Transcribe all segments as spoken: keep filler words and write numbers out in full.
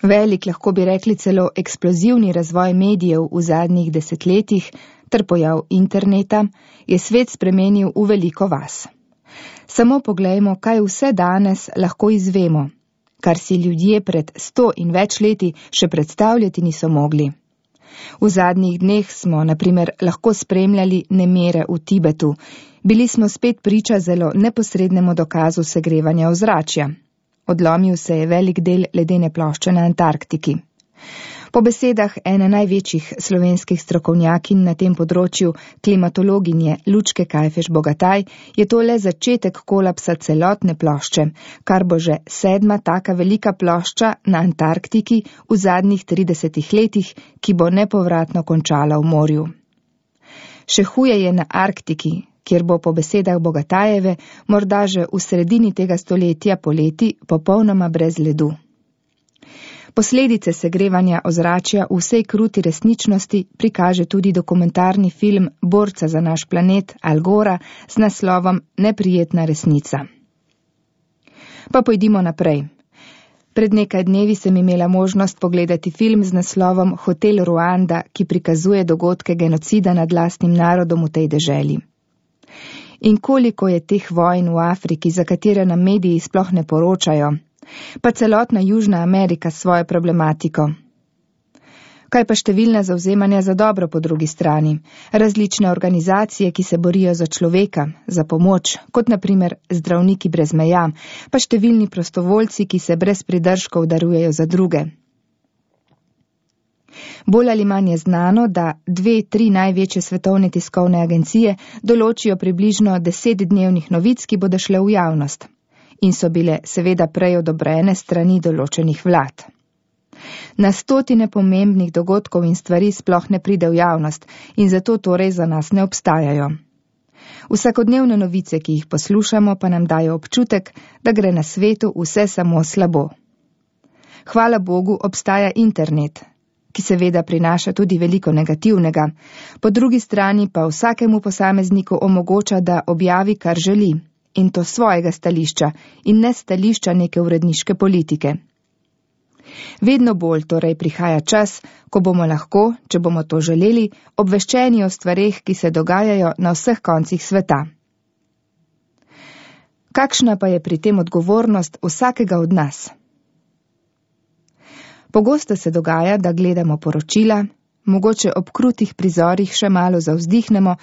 Velik, lahko bi rekli celo eksplozivni razvoj medijev v zadnjih desetletjih ter pojav interneta je svet spremenil v veliko vas. Samo poglejmo, kaj vse danes lahko izvemo, kar si ljudje pred sto in več leti še predstavljati niso mogli. V zadnjih dneh smo, na primer, lahko spremljali nemire v Tibetu, bili smo spet priča zelo neposrednemu dokazu segrevanja ozračja. Odlomil se je velik del ledene plošče na Antarktiki. Po besedah ene največjih slovenskih strokovnjakinj na tem področju, klimatologinje Lučke Kajfeš Bogataj, je to le začetek kolapsa celotne plošče, kar bo že sedma taka velika plošča na Antarktiki v zadnjih tridesetih letih, ki bo nepovratno končala v morju. Še huje je na Arktiki, kjer bo po besedah Bogatajeve morda že v sredini tega stoletja poleti popolnoma brez ledu. Posledice segrevanja ozračja v vsej kruti resničnosti prikaže tudi dokumentarni film borca za naš planet Al Gora z naslovom Neprijetna resnica. Pa pojdimo naprej. Pred nekaj dnevi sem imela možnost pogledati film z naslovom Hotel Ruanda, ki prikazuje dogodke genocida nad lastnim narodom v tej deželi. In koliko je teh vojn v Afriki, za katere nam mediji sploh ne poročajo, pa celotna Južna Amerika s svojo problematiko. Kaj pa številna zavzemanja za dobro po drugi strani, različne organizacije, ki se borijo za človeka, za pomoč, kot na primer Zdravniki brez meja, pa številni prostovoljci, ki se brez pridržkov darujejo za druge. Bolj ali manj je znano, da dve, tri največje svetovne tiskovne agencije določijo približno deset dnevnih novic, ki bodo šle v javnost in so bile seveda prej odobrene strani določenih vlad. Na stotine pomembnih dogodkov in stvari sploh ne pride v javnost in zato torej za nas ne obstajajo. Vsakodnevne novice, ki jih poslušamo, pa nam dajo občutek, da gre na svetu vse samo slabo. Hvala Bogu obstaja internet, ki seveda prinaša tudi veliko negativnega, po drugi strani pa vsakemu posamezniku omogoča, da objavi, kar želi, in to svojega stališča in ne stališča neke uredniške politike. Vedno bolj torej prihaja čas, ko bomo lahko, če bomo to želeli, obveščeni o stvareh, ki se dogajajo na vseh koncih sveta. Kakšna pa je pri tem odgovornost vsakega od nas? Pogosto se dogaja, da gledamo poročila, mogoče ob krutih prizorih še malo zavzdihnemo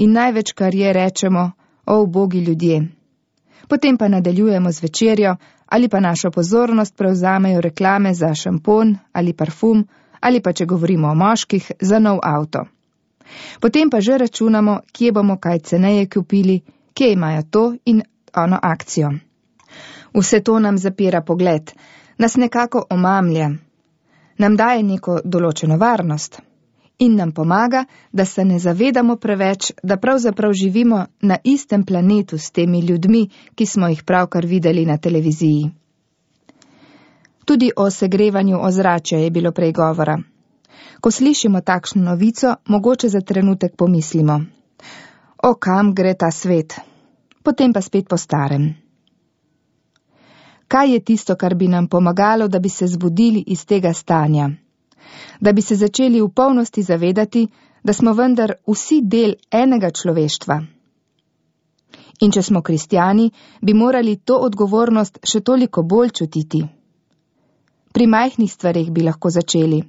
in največ, kar je, rečemo, o ubogi ljudje. Potem pa nadaljujemo z večerjo ali pa našo pozornost prevzamejo reklame za šampon ali parfum ali pa, če govorimo o moških, za nov avto. Potem pa že računamo, kje bomo kaj ceneje kupili, kje imajo to in ono akcijo. Vse to nam zapira pogled, nas nekako omamlja, nam daje neko določeno varnost in nam pomaga, da se ne zavedamo preveč, da pravzaprav živimo na istem planetu s temi ljudmi, ki smo jih pravkar videli na televiziji. Tudi o segrevanju ozračja je bilo prej govora. Ko slišimo takšno novico, mogoče za trenutek pomislimo: o kam gre ta svet? Potem pa spet po starem. Kaj je tisto, kar bi nam pomagalo, da bi se zbudili iz tega stanja? Da bi se začeli v polnosti zavedati, da smo vendar vsi del enega človeštva. In če smo kristjani, bi morali to odgovornost še toliko bolj čutiti. Pri majhnih stvareh bi lahko začeli.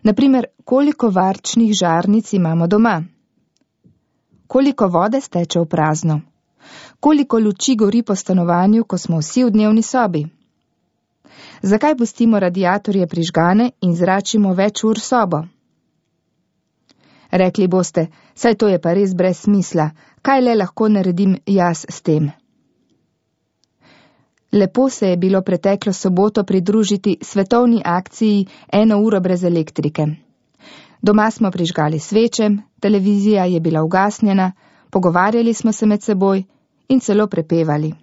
Naprimer, koliko varčnih žarnic imamo doma? Koliko vode steče v prazno? Koliko luči gori po stanovanju, ko smo vsi v dnevni sobi? Zakaj pustimo radiatorje prižgane in zračimo več ur sobo? Rekli boste, saj to je pa res brez smisla, kaj le lahko naredim jaz s tem? Lepo se je bilo preteklo soboto pridružiti svetovni akciji eno uro brez elektrike. Doma smo prižgali sveče, televizija je bila ugasnjena, pogovarjali smo se med seboj in celo prepevali.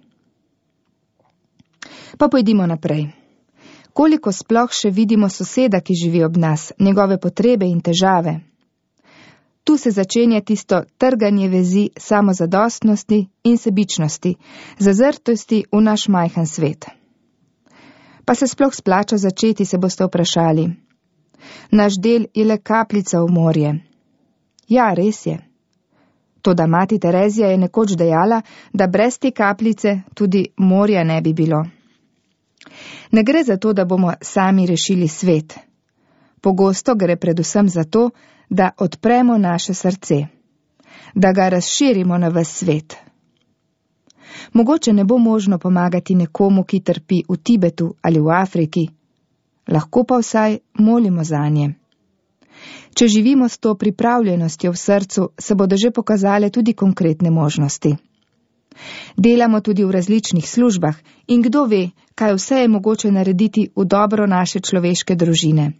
Pa pojdimo naprej. Koliko sploh še vidimo soseda, ki živi ob nas, njegove potrebe in težave? Tu se začenja tisto trganje vezi samozadostnosti in sebičnosti, zazrtosti v naš majhen svet. Pa se sploh splača začeti, se boste vprašali. Naš del je le kapljica v morje. Ja, res je. Toda mati Terezija je nekoč dejala, da brez te kapljice tudi morja ne bi bilo. Ne gre za to, da bomo sami rešili svet. Pogosto gre predvsem za to, da odpremo naše srce, da ga razširimo na ves svet. Mogoče ne bo možno pomagati nekomu, ki trpi v Tibetu ali v Afriki, lahko pa vsaj molimo zanje. Če živimo s to pripravljenostjo v srcu, se bodo že pokazale tudi konkretne možnosti. Delamo tudi v različnih službah in kdo ve, kaj vse je mogoče narediti v dobro naše človeške družine.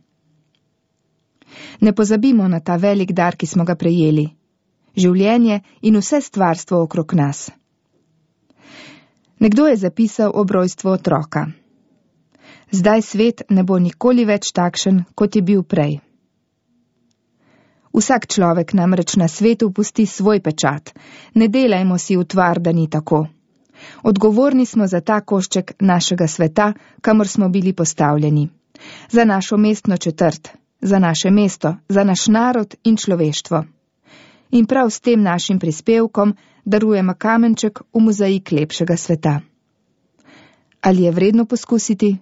Ne pozabimo na ta velik dar, ki smo ga prejeli, življenje in vse stvarstvo okrog nas. Nekdo je zapisal ob rojstvu otroka. Zdaj svet ne bo nikoli več takšen, kot je bil prej. Vsak človek namreč na svetu pusti svoj pečat. Ne delajmo si utvar, da ni tako. Odgovorni smo za ta košček našega sveta, kamor smo bili postavljeni. Za našo mestno četrt, za naše mesto, za naš narod in človeštvo. In prav s tem našim prispevkom darujemo kamenček v mozaik lepšega sveta. Ali je vredno poskusiti?